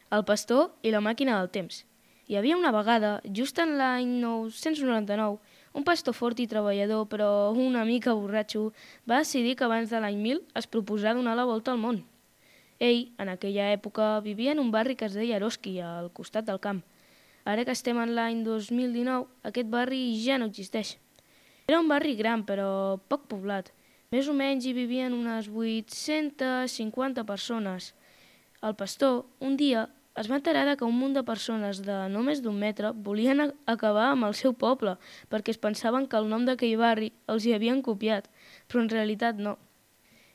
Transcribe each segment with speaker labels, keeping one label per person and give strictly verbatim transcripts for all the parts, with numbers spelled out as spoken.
Speaker 1: El pastor i la màquina del temps. Hi havia una vegada, just en l'any nou-cents noranta-nou, un pastor fort i treballador, però una mica borratxo, va decidir que abans de l'any mil es proposà donar la volta al món. Ell, en aquella època, vivia en un barri que es deia Eroski, al costat del camp. Ara que estem en l'any dos mil dinou, aquest barri ja no existeix. Era un barri gran, però poc poblat. Més o menys hi vivien unes vuit-centes cinquanta persones. El pastor, un dia, es va enterar que un munt de persones de no més d'un metre volien acabar amb el seu poble perquè es pensaven que el nom d'aquell barri els hi havien copiat, però en realitat no.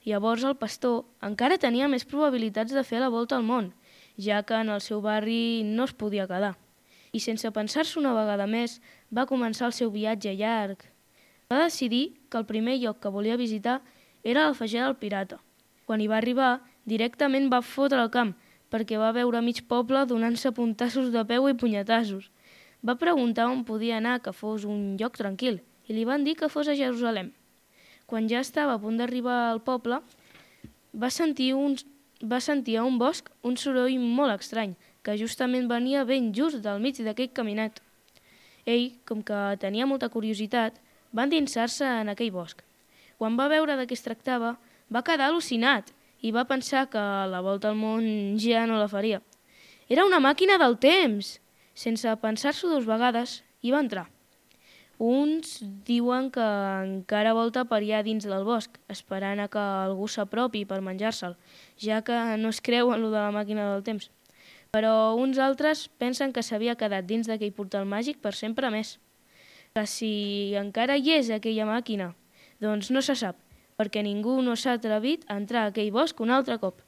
Speaker 1: Llavors el pastor encara tenia més probabilitats de fer la volta al món, ja que en el seu barri no es podia quedar. I sense pensar-s'ho una vegada més, va començar el seu viatge llarg. Va decidir que el primer lloc que volia visitar era l'Alfagir del Pirata. Quan hi va arribar, directament va fotre el camp, perquè va veure mig poble donant-se puntassos de peu i punyetassos. Va preguntar on podia anar, que fos un lloc tranquil, i li van dir que fos a Jerusalem. Quan ja estava a punt d'arribar al poble, va sentir, un, va sentir a un bosc un soroll molt estrany, que justament venia ben just del mig d'aquell caminet. Ell, com que tenia molta curiositat, va endinsar-se en aquell bosc. Quan va veure de què es tractava, va quedar al·lucinat i va pensar que la volta al món ja no la faria. Era una màquina del temps! Sense pensar-s'ho dues vegades, hi va entrar. Uns diuen que encara volta per allà dins del bosc, esperant a que algú s'apropi per menjar-se'l, ja que no es creu en lo de la màquina del temps. Però uns altres pensen que s'havia quedat dins d'aquell portal màgic per sempre més. Que si encara hi és aquella màquina, doncs no se sap, perquè ningú no s'ha atrevit a entrar a aquell bosc un altre cop.